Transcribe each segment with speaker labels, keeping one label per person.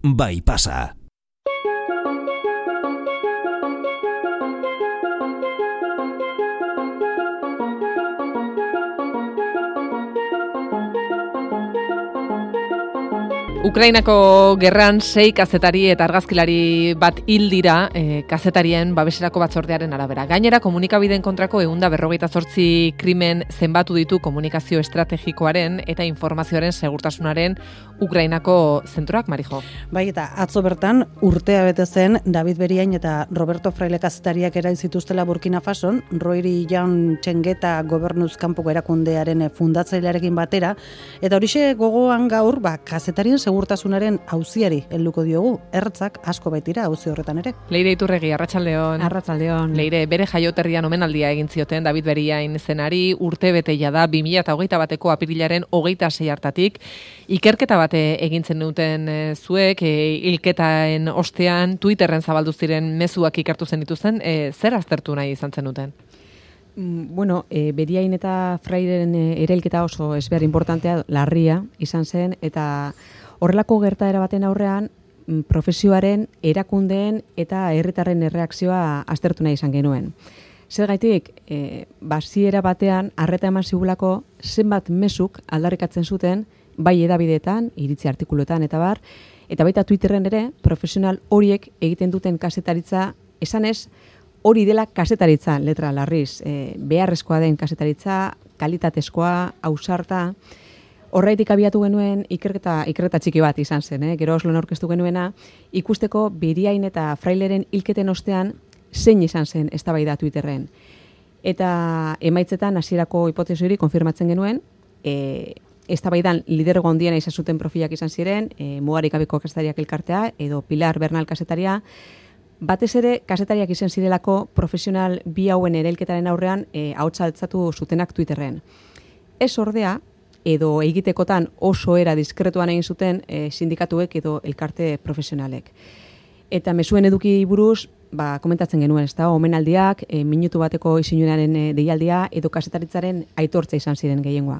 Speaker 1: bai pasa.
Speaker 2: Ukrainako gerran 6 kazetari eta argazkilari bat hil dira kazetarien babeserako batzordearen arabera. Gainera, komunikabideen kontrako 158 krimen zenbatu ditu komunikazio estrategikoaren eta informazioaren segurtasunaren Ukrainako zentroak, Marijo.
Speaker 3: Bai, eta atzo bertan urtea bete zen David Beriain eta Roberto Fraile kazetariak erail zituztela Burkina Fason, Roiri Jaun Txengeta gobernuz kanpoko erakundearen fundatzailearekin batera, eta horixe gogoan gaur, kazetarien segurtasunaren auziari helduko diogu, ertzak asko baitira auzi horretan ere.
Speaker 2: Leire Iturregi, arratsaldeon.
Speaker 4: Arratsaldeon.
Speaker 2: Leire, bere jaioterrian omenaldia egin zioten David Beriain zenari, urte beteia da 2021ko apirilaren 26 hartatik, ikerketa bat egin zen duten zuek, hilketaen ostean Twitterren zabaldu ziren mezuak ikertu zen dituzten, zer aztertu nahi izan zen duten?
Speaker 4: Bueno, Beriain eta Fraileren erailketa oso ezber importantea, larria izan zen, eta horrelako gertaera baten aurrean, profesioaren, erakundeen eta herritarren erreakzioa aztertu nahi izan genuen. Zergaitik, basiera batean, arreta eman zigulako zenbat mezuk aldarrikatzen zuten, bai edabideetan, iritzi artikuluetan eta bar, eta baita Twitterren ere, profesional horiek egiten duten kazetaritza, esanez, hori dela kazetaritza, letra larriz, beharrezkoa den kazetaritza, kalitatezkoa, ausarta. Horraitik abiatu genuen ikerketa txiki bat izan zen, gero Oslon aurkeztu genuena, ikusteko Beriain eta Fraileren hilketen ostean zein izan zen eztabaida Twitterren. Eta emaitzetan hasierako hipotesi hori konfirmatzen genuen, eztabaidan lidergo handiena izan zuten profilak izan ziren, mugarik gabeko kazetariak elkartea edo Pilar Bernal kazetaria, batez ere kazetariak izan zirelako profesional bi hauen erailketaren aurrean ahotsa altzatu zutenak Twitterren. Ez ordea, edo egitekotan oso era diskretuan egin zuten sindikatuek edo elkarte profesionalek. Eta mezuen eduki buruz, komentatzen genuen, ez da, omenaldiak, minutu bateko isinunaren deialdia edo kazetaritzaren aitortza izan ziren gehiengoa.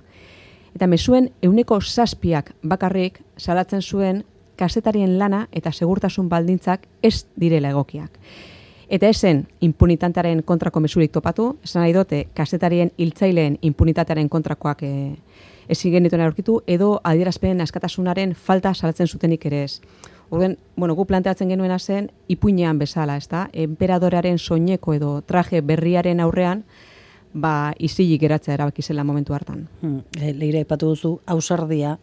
Speaker 4: Eta mezuen 7% bakarrik salatzen zuen kazetarien lana eta segurtasun baldintzak ez direla egokiak. Eta esen impunitatearen kontrako mezurik topatu, esan nahi dute kazetarien hiltzaileen impunitatearen kontrakoak ezin genituen aurkitu, edo adierazpen askatasunaren falta salatzen zutenik ere ez. Orduan, gu planteatzen genuena zen ipuinean bezala, ezta? Enperadorearen soineko edo traje berriaren aurrean, isilik geratzea erabaki zela momentu hartan.
Speaker 3: Leire aipatu duzu, ausardia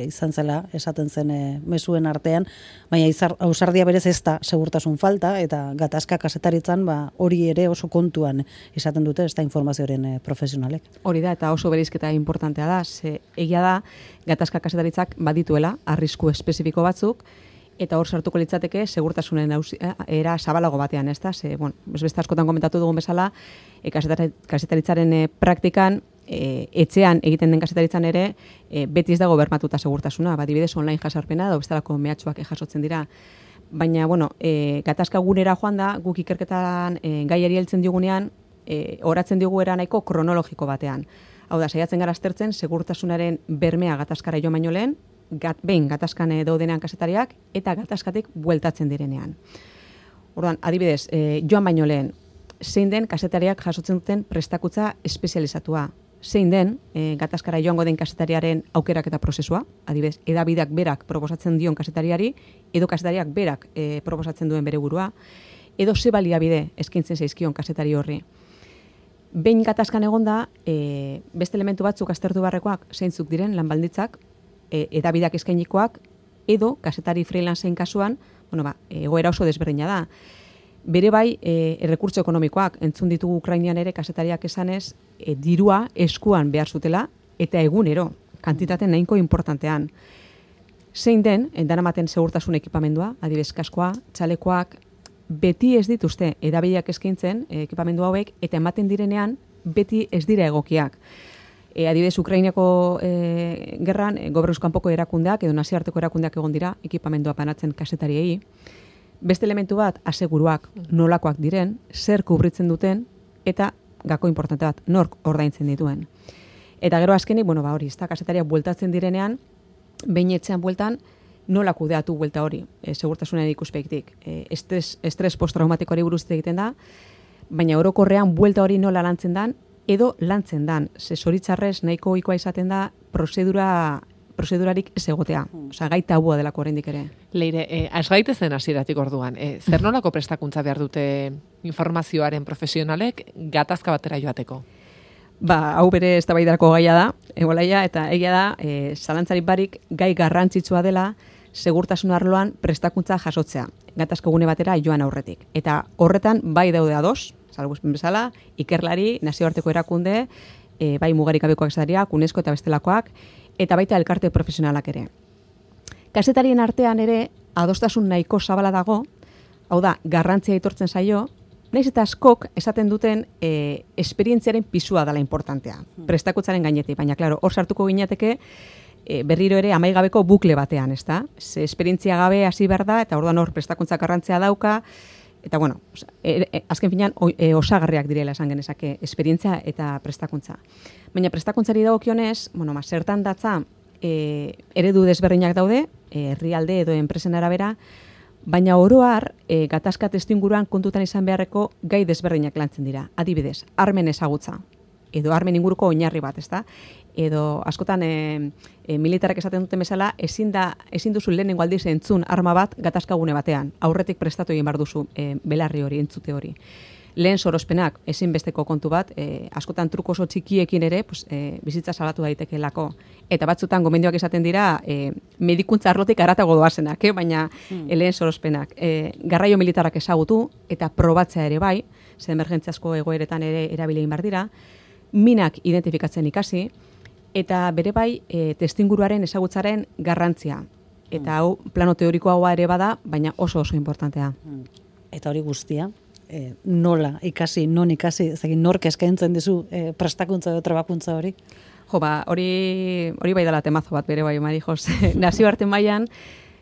Speaker 3: izan zela, esaten zen mezuen artean, baina ausardia berez ez da segurtasun falta, eta gatazka kazetaritzan hori ere oso kontuan izaten dute, ez da informazioaren profesionalek.
Speaker 4: Hori da, eta oso bereizketa importantea da, egia da, gatazka kazetaritzak badituela, arrisku espezifiko batzuk, eta hor sartuko litzateke segurtasunen era zabalago batean, ez da? Beste askotan komentatu dugun bezala, kazetaritzaren praktikan, etxean egiten den kazetaritzan ere, beti ez dago bermatuta segurtasuna, adibidez online jasarpena, edo bestelako mehatxuak jasotzen dira. Baina, gatazka gunera joan da, guk ikerketan gaiari heltzen digunean, oratzen digu era nahiko kronologiko batean. Hau da, saiatzen gara aztertzen, segurtasunaren bermea gatazkara joan baino lehen, behin gatazkan daudenean kazetariak eta gatazkatik bueltatzen direnean. Orduan, adibidez, joan baino lehen, zein den kazetariak jasotzen duten prestakutza espezializatua, zein den gatazkara joango den kazetariaren aukerak eta prozesua, adibidez, edabideak berak proposatzen dion kazetariari, edo kazetariak berak proposatzen duen bere burua, edo ze baliabide eskaintzen zaizkion kazetari horri. Behin gatazkan egonda, beste elementu batzuk aztertu beharrekoak zeintzuk diren lanbalditzak, edabideak eskainikoak, edo kazetari freelanceen kasuan, egoera oso desberdina da. Bere bai, errekurtso ekonomikoak, entzun ditugu Ukrainian ere kazetariak esanez, dirua eskuan behar zutela, eta egunero, kantitate nahiko importantean. Zein den, daramaten segurtasun ekipamendua, adibidez kaskoa, txalekoak, beti ez dituzte edabideak eskaintzen ekipamendu hauek, eta ematen direnean, beti ez dira egokiak. Adibidez, Ukrainako gerran, gobernuz kanpoko erakundeak edo nazioarteko erakundeak egon dira ekipamendua banatzen kazetariei. Beste elementu bat, aseguruak nolakoak diren, zer kubritzen duten, eta gako importante bat, nork ordaintzen dituen. Eta gero azkenik, hori, kazetariak bueltatzen direnean, behin etxean bueltan, nola kudeatu buelta hori, segurtasunaren ikuspegtik. Estres postraumatikoari buruz egiten da, baina orokorrean buelta hori nola lantzen dan, edo lantzen dan. Zoritxarrez nahiko ohikoa izaten da prozedurarik ez egotea. Osea, gai tabua delako oraindik ere.
Speaker 2: Leire, has gaitezen hasieratik orduan. Zer nolako prestakuntza behar dute informazioaren profesionalek gatazka batera joateko?
Speaker 4: Hau bere eztabaidarako gaia da, egolaia, eta egia da, zalantzarik barik gai garrantzitsua dela segurtasun arloan prestakuntza jasotzea, gatazka gune batera joan aurretik. Eta horretan bai daude ados, salbuespen bezala, ikerlari, nazioarteko erakunde, bai mugarikabekoak esatariak, UNESCO eta bestelakoak, eta baita elkarte profesionalak ere. Kazetarien artean ere adostasun nahiko zabala dago, hau da, garrantzia aitortzen zaio, naiz eta askok esaten duten esperientziaren pisua dela importantea, prestakuntzaren gainetik, baina klaro, hor sartuko ginateke berriro ere amaigabeko bukle batean, ezta? Ze esperientzia gabe hasi behar da, eta orduan hor prestakuntza garrantzia dauka, eta bueno, azken finean osagarriak direla esan genezake esperientzia eta prestakuntza. Baina prestakuntzari dagokionez, zertan datza eredu desberdinak daude, herrialde edo enpresen arabera, baina oro har gatazka testuinguruan kontutan izan beharreko gai desberdinak lantzen dira. Adibidez, armen ezagutza, edo armen inguruko oinarri bat, ezta? Edo askotan militarrak esaten duten bezala, ezin duzu lehenengo aldiz entzun arma bat gatazkagune batean. Aurretik prestatu egin behar duzu belarri hori, entzute hori. Lehen sorospenak ezinbesteko kontu bat, askotan truko oso txikiekin ere, bizitza salatu daitekeelako. Eta batzutan gomendioak esaten dira, medikuntza arlotik haratago doazenak, baina lehen sorospenak. Garraio militarrak ezagutu eta probatzea ere bai, ze emergentziazko egoeretan ere erabili egin behar dira, minak identifikatzen ikasi, eta bere bai testuinguruaren ezagutzaren garrantzia. Eta hau plano teorikoa ere bada, baina oso importantea.
Speaker 3: Eta hori guztia, nola ikasi, non ikasi, ezagin nork eskaintzen dizu prestakuntza edo trebakuntza hori?
Speaker 4: Hori bai dela temazo bat bere bai, Marijos. Nazioarte mailan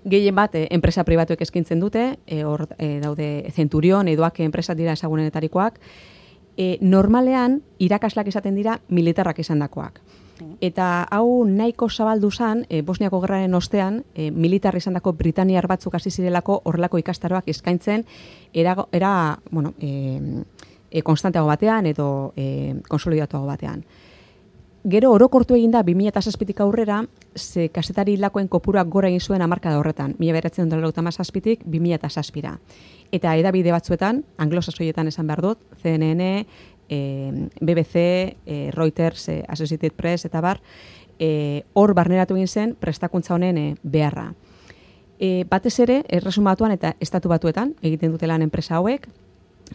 Speaker 4: gehien bat enpresa pribatuek eskaintzen dute, hor daude Centurion, edoak enpresa dira ezagunenetarikoak, normalean irakaslak esaten dira militarrak esandakoak. Eta hau nahiko zabaldu zen, Bosniako gerraren ostean, militar izandako britainiar batzuk hasi zirelako horrelako ikastaroak eskaintzen konstanteago batean edo konsolidatuago batean. Gero orokortu egin da 2007tik aurrera, ze kazetari hilakoen kopuruak gora egin zuen hamarkada horretan, 1997tik 2007ra. Eta hedabide batzuetan, anglosaxoietan esan behar dut, CNN, BBC, Reuters, Associated Press, eta bar, hor barneratu egin zen prestakuntza honen beharra. Batez ere, erresumatuan eta estatu batuetan, egiten dutelan enpresa hauek,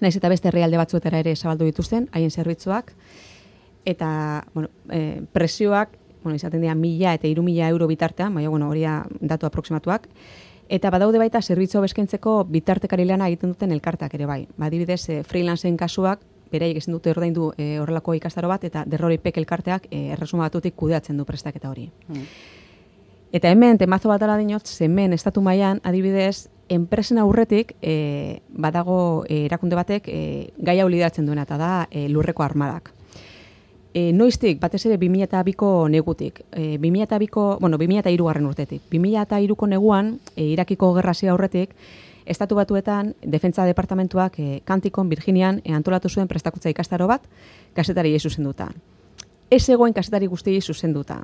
Speaker 4: naiz eta beste herrialde batzuetara ere zabaldu dituzten, haien zerbitzuak, eta presioak, izaten dira 1.000 eta 3.000 euro bitartean, baina horia datu aproksimatuak, eta badaude baita zerbitzu beskentzeko bitartekari lana egiten duten elkarteak ere bai. Adibidez, freelanceen kasuak, beraiek ezin dute ordaindu horrelako ikastaro bat, eta derroripek elkarteak erresuma batutik kudeatzen du prestaketa hori. Eta hemen, temazo bat ala dinot, hemen estatu mailan adibidez, enpresen aurretik badago erakunde batek gai hau lideratzen duena, eta da lurreko armadak. Noiztik, batez ere 2002ko negutik, 2003 urtetik. 2003ko neguan, Irakiko gerra hasi aurretik, Estatu Batuetan, Defentsa Departamentuak Kantikon, Virginian, antolatu zuen prestakuntza ikastaro bat, kazetariei zuzenduta. Ez egoen kazetari guztiei zuzenduta.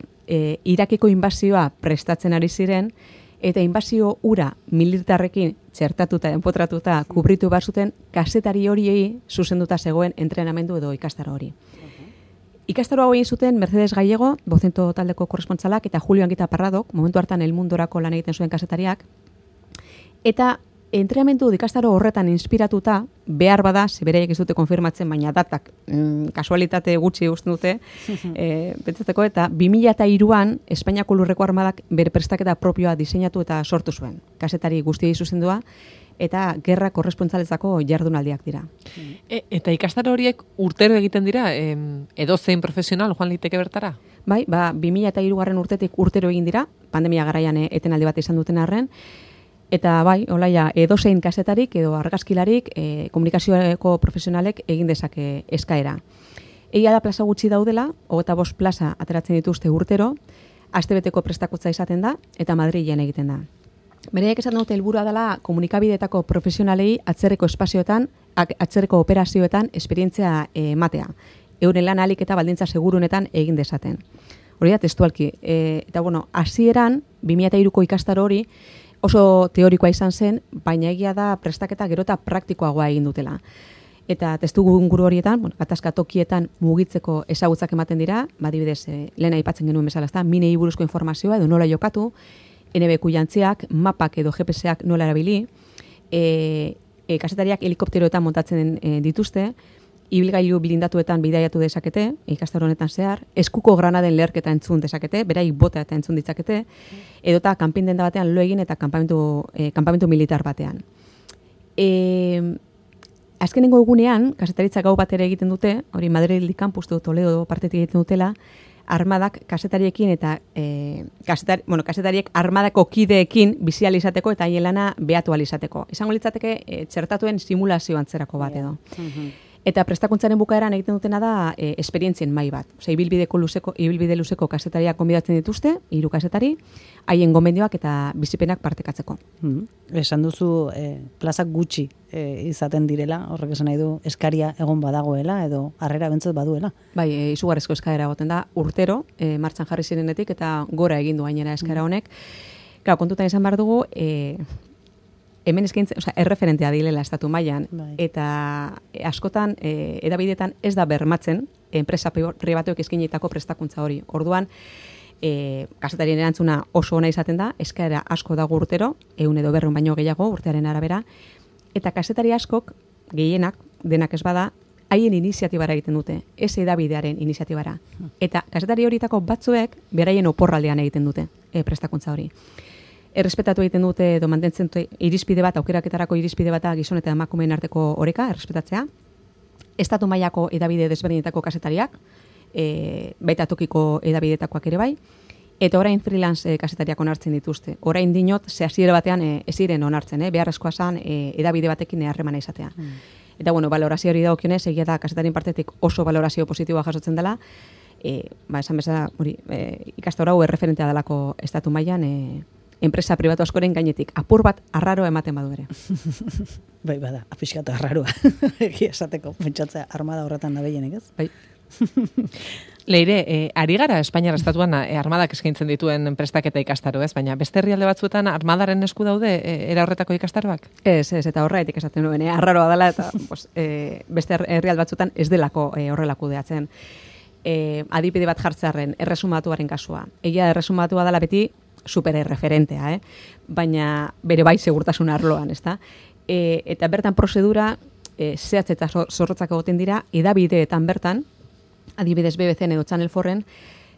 Speaker 4: Irakiko inbazioa prestatzen ari ziren, eta inbazio ura militarrekin txertatuta, enpotratuta, kubritu behar zuten, kazetari horiei zuzenduta zegoen entrenamendu edo ikastaro hori. Ikastaro hau egin zuten Mercedes Gallego, Bozento taldeko korrespontsalak, eta Julio Anguita Parradok, momentu hartan El Mundorako lan egiten zuen kazetariak, eta entrenamendu ikastaro horretan inspiratuta, behar bada, zebereiek ez dute konfirmatzen, baina datak kasualitate gutxi usten dute, pentsatzeko, eta 2003an Espainiako lurreko armadak bere prestaketa propioa diseinatu eta sortu zuen. Kazetari guztiei zuzendua, eta gerra korrespontsaletzako jardunaldiak dira.
Speaker 2: Eta ikastaro horiek urtero egiten dira, edozein profesional joan liteke bertara?
Speaker 4: Bai, 2003 urtetik urtero egin dira, pandemia garaian etenaldi bat izan duten arren, eta bai, olaia, edozein kazetarik edo argazkilarik komunikazioko profesionalek egin dezake eskaera. Egia da plaza gutxi daudela, 25 plaza ateratzen dituzte urtero, astebeteko prestakuntza izaten da, eta Madrilen egiten da. Beraiek esan dute helburua dela komunikabideetako profesionalei atzerreko espazioetan, atzerreko operazioetan esperientzia ematea. Euren lan ahalik eta baldintza segurunetan egin dezaten. Hori da testualki. Eta bueno, hasieran 2003ko ikastaro hori oso teorikoa izan zen, baina egia da prestaketa gero eta praktikoagoa egin dutela. Eta testu inguru horietan, bueno, gatazka tokietan mugitzeko ezagutzak ematen dira, adibidez, lehen aipatzen genuen bezala, ezta, minei buruzko informazioa edo nola jokatu, NBQ jantziak, mapak edo GPS-ak nola erabili, kazetariak helikopteroetan montatzen dituzte, ibilgailu blindatuetan bidaiatu dezakete, ikastaro honetan zehar, eskuko granaden leherketa entzun dezakete, beraik bota eta entzun ditzakete, edota kanpin denda batean lo egin eta kanpamentu militar batean. Azkenengo egunean, kazetaritza gau bat ere egiten dute, hori Madrid Campus edo Toledo partetik egiten dutela, armadak kazetariekin eta kazetariek armadako kideekin bizi ahal izateko eta haien lana behatu ahal izateko. Izango litzateke txertatuen simulazio antzerako bat edo. Eta prestakuntzaren bukaeran egiten dutena da esperientzien mai bat. Osea, ibilbide luzeko kazetariak gonbidatzen dituzte, 3 kazetari, haien gomendioak eta bizipenak partekatzeko.
Speaker 3: Esan duzu plazak gutxi izaten direla, horrek esan nahi du eskaria egon badagoela edo harrera bentzat baduela.
Speaker 4: Bai, izugarrizko eskaera egoten da urtero, martxan jarri zirenetik eta gora egin du gainera eskaera honek. Claro, kontutan izan behar dugu, hemen eskaintzen, erreferentea dilela estatu mailan, eta askotan edabideetan ez da bermatzen enpresa pribatuek eskainitako prestakuntza hori. Orduan, kazetarien erantzuna oso ona izaten da, eskaera asko dago urtero, 100 edo 200 baino gehiago urtearen arabera, eta kazetari askok, gehienak, denak ez bada, haien iniziatibara egiten dute, ez edabidearen iniziatibara. Eta kazetari horietako batzuek beraien oporraldean egiten dute prestakuntza hori. Errespetatu egiten dute edo mantentzen dute irizpide bat, aukeraketarako irizpide bata gizon eta emakumeen arteko oreka, errespetatzea. Estatu mailako edabide desberdinetako kazetariak, baita tokiko edabidetakoak ere bai, eta orain freelance kazetariak onartzen dituzte. Orain dinot, hasiera batean ez ziren onartzen, beharrezkoa zen edabide batekin harremana izatea. Eta bueno, valorazio hori dagokionez, egia da kazetarien partetik oso valorazio positiboa jasotzen dela, esan bezala, ikastaro hau erreferentea delako estatu mailan, enpresa pribatu askoren gainetik, apur bat arraroa ematen badu ere.
Speaker 3: Bai, bada, apixkatu arraroa. Egia esateko, pentsatzea armada horretan da behienek, ez?
Speaker 4: Bai.
Speaker 2: Leire, ari gara Espainiar estatuan armadak eskaintzen dituen prestaketa ikastaro, ez? Baina beste herrialde batzuetan armadaren esku daude era horretako ikastaroak?
Speaker 4: Ez, eta horretik esaten nuen, arraroa dela, eta beste herrialde batzuetan ez delako horrela kudeatzen. Adibide bat jartzearren, erresumatuaren kasua. Egia erresumatua dela beti supererreferentea, baina bere bai segurtasun arloan, ezta? Eta bertan prozedura zehatz eta zorrotzak egoten dira, edabideetan bertan, adibidez BBC-en edo Channel 4-en,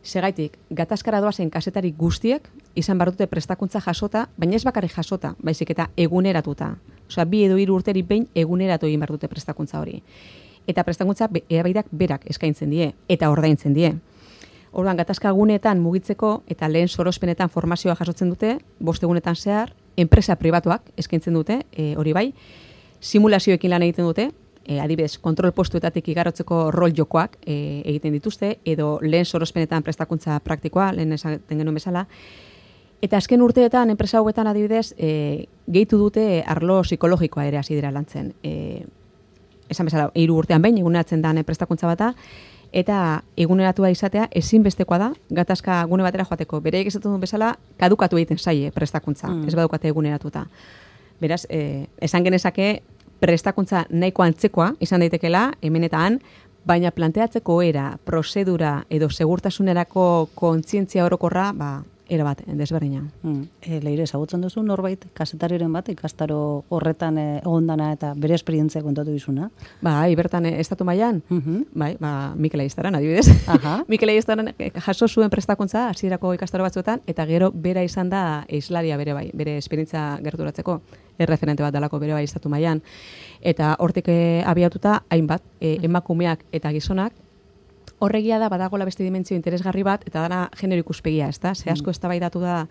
Speaker 4: segaitik, gatazkara doazen kazetari guztiek izan behar dute prestakuntza jasota, baina ez bakarrik jasota, baizik eta eguneratuta. Osea, 2 edo 3 urteri behin eguneratu egin behar dute prestakuntza hori. Eta prestakuntza edabeideak berak eskaintzen die, eta ordaintzen die. Orduan, gatazka guneetan mugitzeko eta lehen sorospenetan formazioa jasotzen dute, 5 egunetan zehar, enpresa pribatuak eskaintzen dute, hori bai, simulazioekin lan egiten dute, adibidez, kontrol postuetatik igarotzeko rol jokoak egiten dituzte, edo lehen sorospenetan prestakuntza praktikoa, lehen esaten genuen bezala, eta azken urteetan, enpresa hauetan adibidez, gehitu dute arlo psikologikoa ere hasi dira lantzen. Esan bezala, 3 urtean behin, eguneratzen da prestakuntza bata, eta eguneratua izatea ezinbestekoa da gatazka gune batera joateko. Bereik esaten duen bezala, kadukatu egiten zaie prestakuntza, ez badukate eguneratuta. Beraz, esan genezake prestakuntza nahiko antzekoa izan daitekela, hemen eta han, baina planteatzeko era, prozedura edo segurtasunerako kontzientzia orokorra, era bat, desberdina.
Speaker 3: Leire, ezagutzen duzu norbait, kazetariren bat, ikastaro horretan egondana eta bere esperientzia kontatu dizuna?
Speaker 4: Bai, bertan estatu mailan, bai, Mikel Aistaran, adibidez. Mikel Aistaran jaso zuen prestakuntza hasierako ikastaro batzuetan, eta gero bera izan da islaria bere bai, bere esperientzia gerturatzeko, erreferente bat dalako bere bai estatu mailan. Eta hortik abiatuta, hainbat, emakumeak eta gizonak, horregia da badagola beste dimentsio interesgarri bat, eta dana genero ikuspegia, ezta? Ze asko eztabaidatu da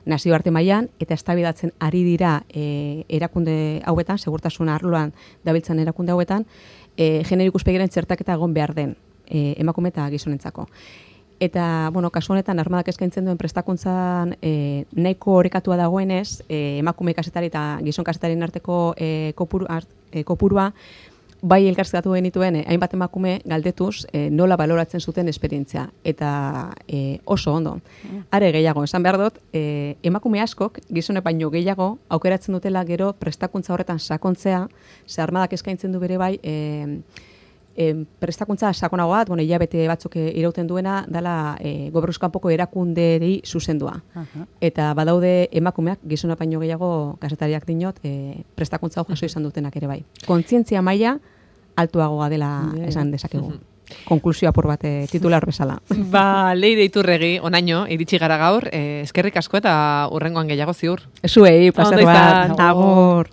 Speaker 4: nazioarte mailan eta eztabaidatzen ari dira erakunde hauetan, segurtasun arloan dabiltzan erakunde hauetan, genero ikuspegiaren txertaketa egon behar den emakume eta gizonentzako. Eta, bueno, kasu honetan, armadak eskaintzen duen prestakuntzan nahiko orekatua dagoenez, emakume kazetari eta gizon kazetarien arteko kopurua, bai elkarrizkatu genituen hainbat emakume galdetuz nola baloratzen zuten esperientzia. Eta oso ondo. Are gehiago, esan behar dut, emakume askok, gizone baino gehiago, aukeratzen dutela gero prestakuntza horretan sakontzea, ze armadak eskaintzen du bere bai, prestakuntza sakonago bat, hilabete batzuk irauten duena, dela gobernuz kanpoko erakunderi zuzendua. Eta badaude emakumeak, gizona baino gehiago kazetariak dinot, prestakuntza hau jaso izan dutenak ere bai. Kontzientzia maila altuagoa dela esan dezakegu. Konklusio apur bat titular bezala.
Speaker 2: Leire Iturregi, onaino, iritsi gara gaur, eskerrik asko eta hurrengoan gehiago ziur.
Speaker 4: Zuei, plazer bat. Agur.